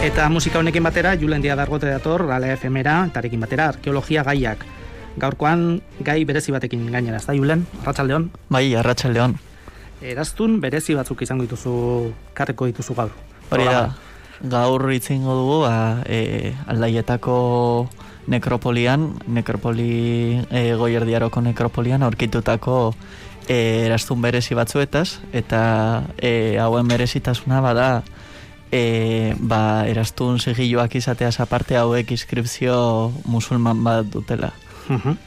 Eta musika honekin batera, Julen Díaz Dargote dator, Gala FM-era, etarekin batera, arkeologia gaiak. Gaurkoan gai berezi batekin gainera, ez da, Julen? Arratsaldeon? Bai, arratsaldeon. Eraztun berezi batzuk izango dituzu, karreko dituzu gaur. Hori da, gaur itzingo dugu, Aldaietako nekropoli Goierdiaroko nekropolian aurkitutako eraztun berezi batzuetaz, eta hauen berezitasuna bada, eraztun sigilloak izateaz aparte hauek inskripzio musulman bat dutela.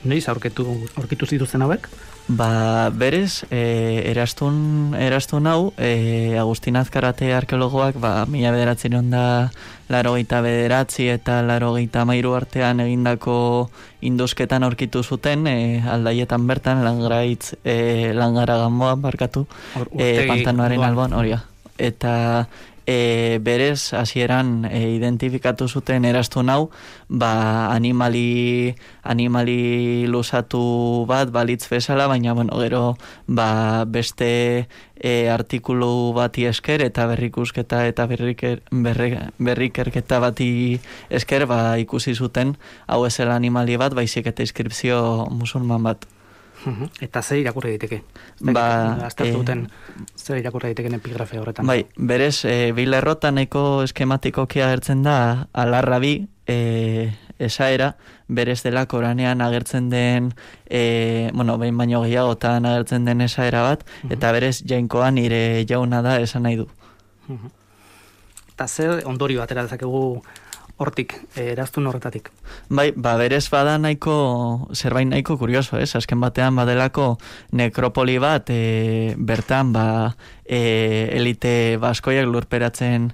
Noiz aurkitu zituzten hauek? Berez, eraztun hau, Agustin Azkarate arkeologoak, 1989 eta 1993 artean egindako induzketan aurkitu zuten, Aldaietan bertan, Langara Gamboan barkatu, pantanoaren alboan, hori. Eta berez, hasieran identifikatu zuten eraztun hau, animali lusatu bat balitz bezala, baina gero beste artikulu bati esker eta berrikusketa eta berrikerketa bati esker ikusi zuten hau ezela animali bat, baizik eta inskripzio musulman bat. Eta zer irakurri daiteke? Aztertu duten zer irakurri daiteken epigrafe horretan? Bai, berez, bilerrotan nahiko eskematikoki agertzen da alarrabi esaera, berez dela Koranean agertzen den, behin baino gehiagotan agertzen den esaera bat, eta berez jainkoan nire jauna da esan nahi du. Eta zer ondorio atera dezakegu hortik, eraztun horretatik? Bai, berez bada zerbait nahiko kurioso, ez? Azken batean badelako nekropoli bat, bertan elite baskoiak lurperatzen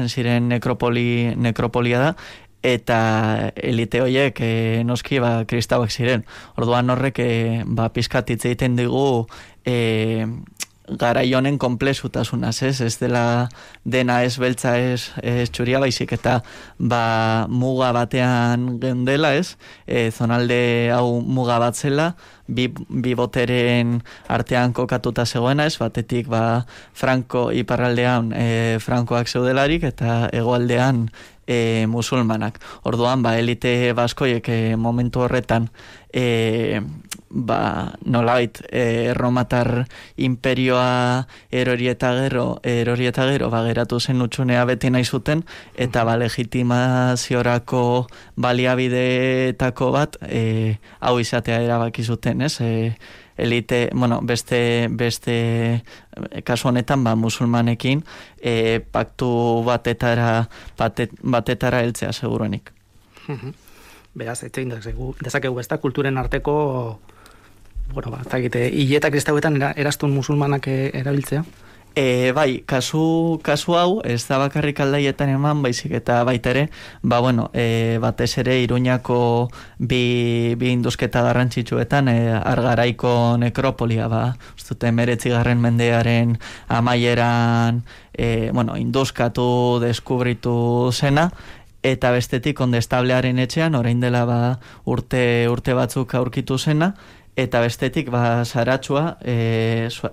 ziren nekropolia da, eta elite horiek noski kristauak ziren. Orduan horrek pizkat hitz egiten digu garai honen konplexutasunaz, ez dela dena ez beltza ez txuria, baizik eta muga batean geundela, ez? Zonalde hau muga bat zela, bi boteren artean kokatuta zegoena, ez? Batetik iparraldean frankoak zeudelarik eta hegoaldean musulmanak. Orduan, elite baskoiek momentu horretan nolabait Romatar imperioa erori eta gero geratu zen utxunea beti nahi zuten, eta legitimaziorako baliabideetako bat hau izatea erabaki zuten, ez? Elite, beste kasu honetan musulmanekin paktu batetara heltzea seguruenik. Beraz, etxein dezakegu besta kulturen arteko hileta kristauetan eraztun musulmanak erabiltzea? Bai, kasu hau ez da bakarrik Aldaietan eman, baizik eta baita ere, batez ere Iruñako bi induzketa garrantzitsuetan, Argaraiko nekropolia, ustute 19. mendearen amaieran induzkatu, deskubritu zena, eta bestetik Kondestablearen etxean, orain dela urte batzuk aurkitu zena, eta bestetik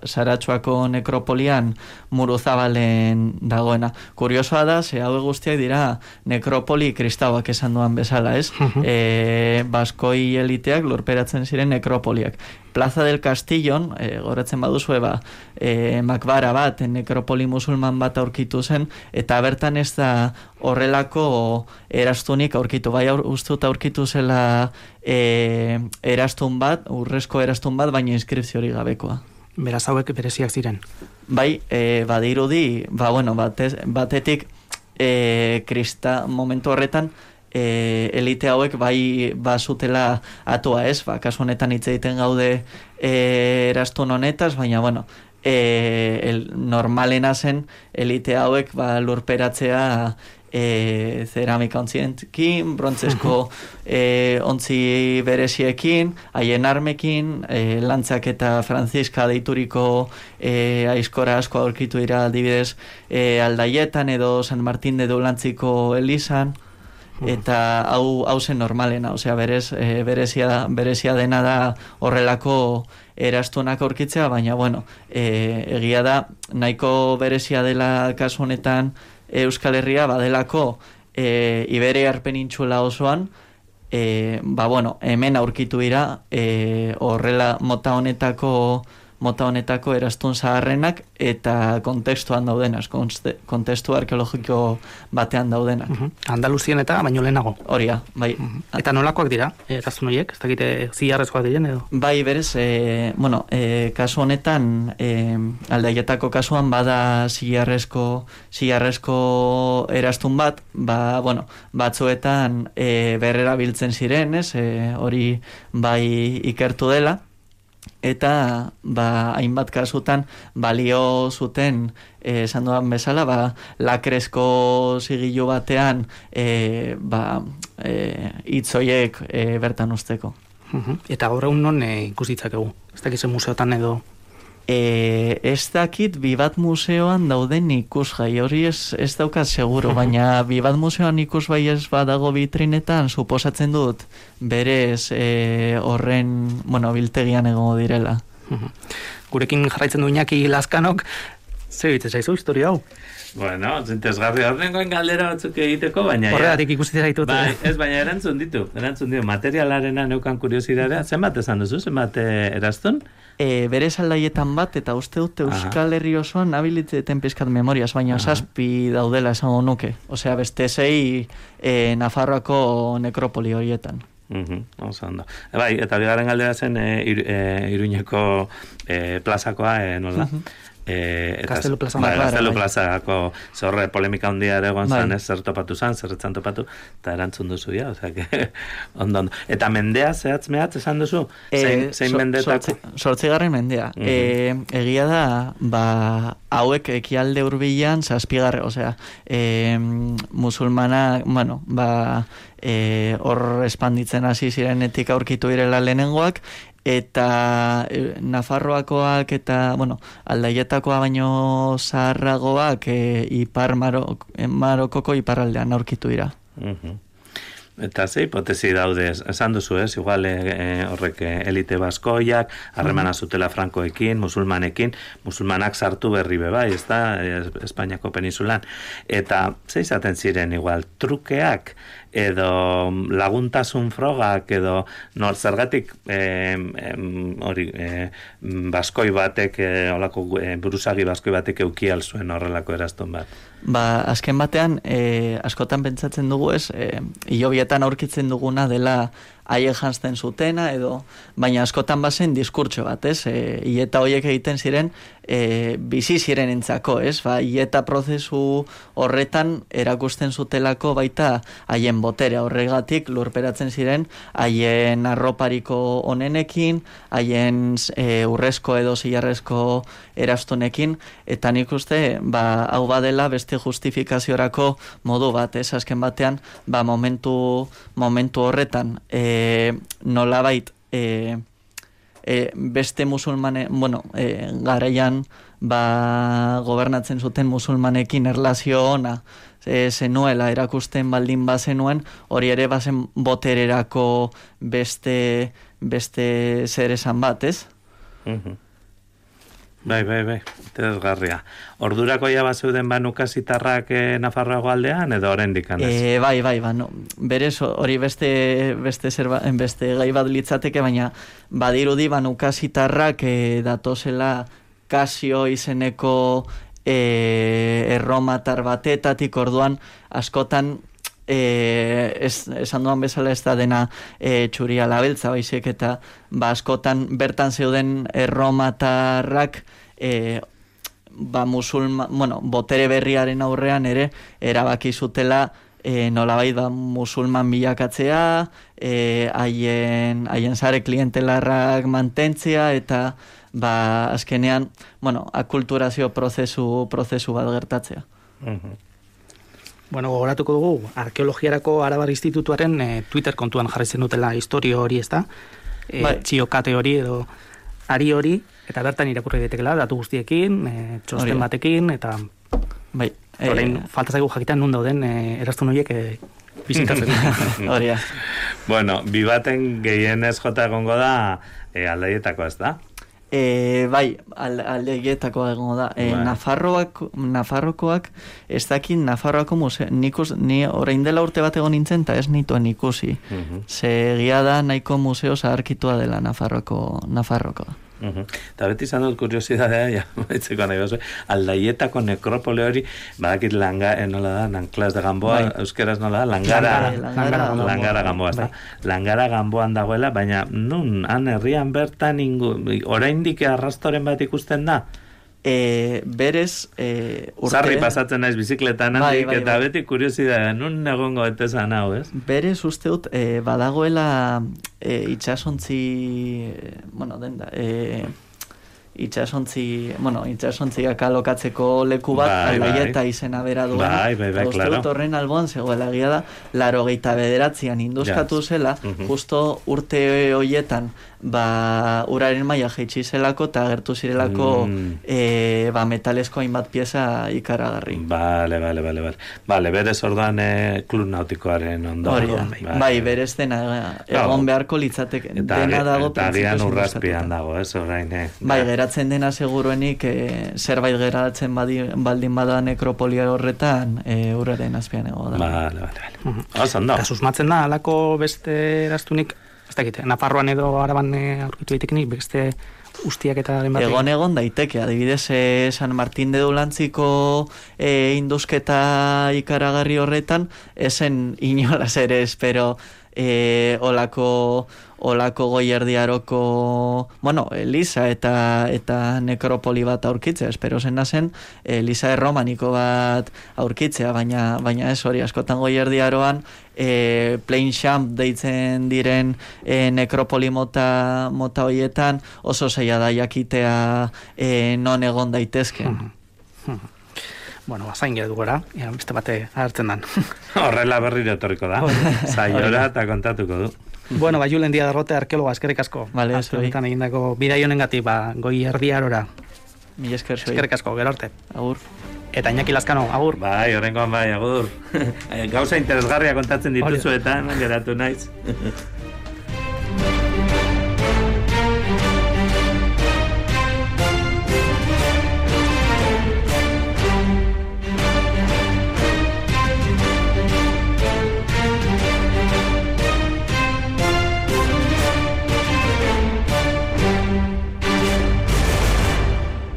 Saratxuako nekropolian Muruzabalen dagoena. Kuriosoa da, hau guztiak dira nekropoli kristauak esan duan bezala, ez? Baskoi eliteak lurperatzen ziren nekropoliak. Plaza del Castillon, goretzen baduzue, makbara bat, nekropoli musulman bat aurkitu zen, eta bertan ez da horrelako eraztunik aurkitu. Bai, ustut aurkitu zela eraztun bat, urrezko eraztun bat, baina inskripzio hori gabekoa. Beraz hauek bereziak ziren? Bai, badirudi, batetik momentu horretan, elite hauek bazutela atua, ez? Kasu honetan hitz egiten gaude eraztun honetaz, baina normalena zen elite hauek lurperatzea zeramika ontzienkin, brontzesko ontzi bereziekin, haien armekin, lantzak eta Franziska deituriko aizkora asko aurkitu dira adibidez Aldaietan edo San Martin de Doulantziko elizan, eta hau zen normalena, berezia dena da horrelako erastunak aurkitzea, baina, bueno, egia da, nahiko berezia dela kasu honetan Euskal Herria, badelako Iberiar penintxula osoan, bueno, hemen aurkitu dira horrela mota honetako erastun zaharrenak eta kontestuan daudenak, kontestu arkeologiko batean daudenak. Andaluzien eta baino lehenago. Horia, bai. Eta nolakoak dira, erastun horiek? Ez dakite zilarrezkoak diren edo? Bai, berez, kasu honetan, Aldaietako kasuan bada zilarrezko erastun bat, batzuetan berrerabiltzen ziren, hori bai ikertu dela, eta hainbat kasutan balio zuten esan duan bezala lakrezko zigilu batean hitzoiek bertan usteko. Eta gaur egun non ikusitzakegu? Ez dakize museotan edo? Ez dakit Bibat museoan dauden ikusgai, hori ez daukat seguro, baina Bibat museoan ikusgai ez badago vitrinetan, suposatzen dut berez horren, biltegian egongo direla. Gurekin jarraitzen du Iñaki Lazkanok, zer egiten zaizu historia hau? Bueno, zintezgarri horrengoen galdera batzuk egiteko, baina... Horregatik ikusten zaitut. Ez, baina erantzun ditu. Materialarena neukan kuriosidadea. Zenbat esan duzu, zenbat eraztun? Berez Aldaietan bat, eta uste dut Euskal Herri osoan nabilitzeten pizkat memoriaz, baina zazpi daudela esango nuke. Osea, beste zei Nafarroako nekropoli horietan. Oso ondo. Bai, eta bigarren galdera zen Iruñeko plazakoa, nola? Kastelu Plaza. Kastelu Plazako zorre polemika handia ere egon zan, zer topatu zan, zerretzan topatu, eta erantzun duzu, ja, osea, ondo. Eta mendea, zehatz mehatz esan duzu? Zein mendetako? 8. mendea. Egia da, hauek ekialde hurbilan 7. osea, musulmana, hor espanditzen hasi zirenetik aurkitu direla lehenengoak, eta Nafarroakoak eta, Aldaietakoa baino zaharragoak ipar Marokoko iparraldean aurkitu dira. Eta ze hipotesi daude, esan duzu ez, igual horrek elite baskoiak, harremana zutela frankoekin, musulmanak sartu berri bai, ez da, Espainiako peninsulan. Eta ze izaten ziren igual, trukeak, edo laguntasun frogak, edo zergatik baskoi batek, olako buruzagi baskoi batek eukial zuen horrelako erastun bat. Azken batean, askotan pentsatzen dugu ez, hilobietan aurkitzen duguna dela haiek janzten zutena, baina askotan bazen diskurtso bat, ez? Hileta horiek egiten ziren, bizi ziren entzako, ez? Hileta prozesu horretan erakusten zutelako baita haien botere horregatik lurperatzen ziren haien arropariko onenekin, haien urrezko edo zilarrezko erastunekin, eta nik uste, hau badela beste justifikaziorako modu bat, ez? Azken batean, momentu horretan, nolabait beste musulmane, garaian gobernatzen zuten musulmanekin erlazio ona zenuela erakusten baldin bazenuen, hori ere bazen botererako beste zer esan bat, ez? Bai, interesgarria. Ordurako ja bazeuden nukasitarrak Nafarroago aldean, edo oraindik anez? Bai, berez hori beste gai bat litzateke, baina badirudi nukasitarrak datozela Kasio izeneko erromatar batetatik, orduan askotan esan duan bezala ez da dena txuria labeltza baizik, eta askotan bertan zeuden erromatarrak botere berriaren aurrean ere erabaki zutela nolabait musulman bilakatzea, haien zare klientelarrak mantentzea, eta azkenean akulturazio prozesu bat gertatzea. Gogoratuko dugu, Arkeologiarako Arabar Institutuaren Twitter kontuan jarraitzen dutela historio hori, ez da? Txiokate hori edo ari hori, eta bertan irakurri daitekela datu guztiekin, txosten batekin, eta falta zaigu jakitan nun dauden erastun horiek bizitatzen. Bueno, Bibaten gehienez jota egongo da Aldaietako, ez da? Bai, aldeietakoa egongo da. Nafarrokoak, ez dakit Nafarroako museo, ni orain dela urte bat egon nintzen, eta ez nituen ikusi. Ze egia da nahiko museo zaharkitua dela Nafarrokoa. Eta beti izan dut kuriosidadea, baitzeko nahi gozu, Aldaietako nekropole hori, badakit nola da, Nanclas de Gamboa, euskeraz nola da, Langara Gamboa, Langara Gamboan dagoela, baina nun, han herrian bertan, oraindik arrastoren bat ikusten da? Berez Sarri pasatzen naiz bizikletan handik, eta beti kuriosidadea, nun egongo etezan hau, ez? Berez uste dut, badagoela itxasontzi, itxasontziak alokatzeko leku bat, Aldaieta izena bera duen. Uste dut horren alboan zegoela, egia da, 89an induzkatu zela, justo urte hoietan, uraren maila jaitsi zelako eta agertu zirelako metalezko hainbat pieza ikaragarri. Bale, berez orduan klub nautikoaren ondoan. Bai, berez dena egon beharko litzateke. Dena dago. Eta agian urrazpian dago, ez orain. Bai, geratzen dena seguruenik zerbait geratzen baldin bada nekropolia horretan uraren azpian ego da. Bale. Eta susmatzen da, alako beste eraztunik, ez dakit, Nafarroan edo Araban aurkitu daitekenik, beste ustiak eta den batek? Egon daiteke, adibidez San Martín de Dulantziko induzketa ikaragarri horretan, esen inolaz ere, espero olako goierdiaroko Eliza eta nekropoli bat aurkitzea, espero zena zen Eliza erromaniko bat aurkitzea, baina ez hori askotan goierdiaroan Plain Champ deitzen diren nekropoli mota hoietan oso zaila da jakitea non egon daitezken. Zain geratu gora, beste bate hartzen dan. Horrela berriro etorriko da. Zaiora eta kontatuko du. Julen Díaz Arrote, arkeologa, eskerrik asko. Vale, azkenetan egindako bidai honengatik, goi erdiarora. Mila esker zoi. Eskerrik asko, gero arte. Agur. Eta Iñaki Lazkano, agur. Bai, horrengoan bai, agur. Gauza interesgarria kontatzen dituzuetan, geratu naiz.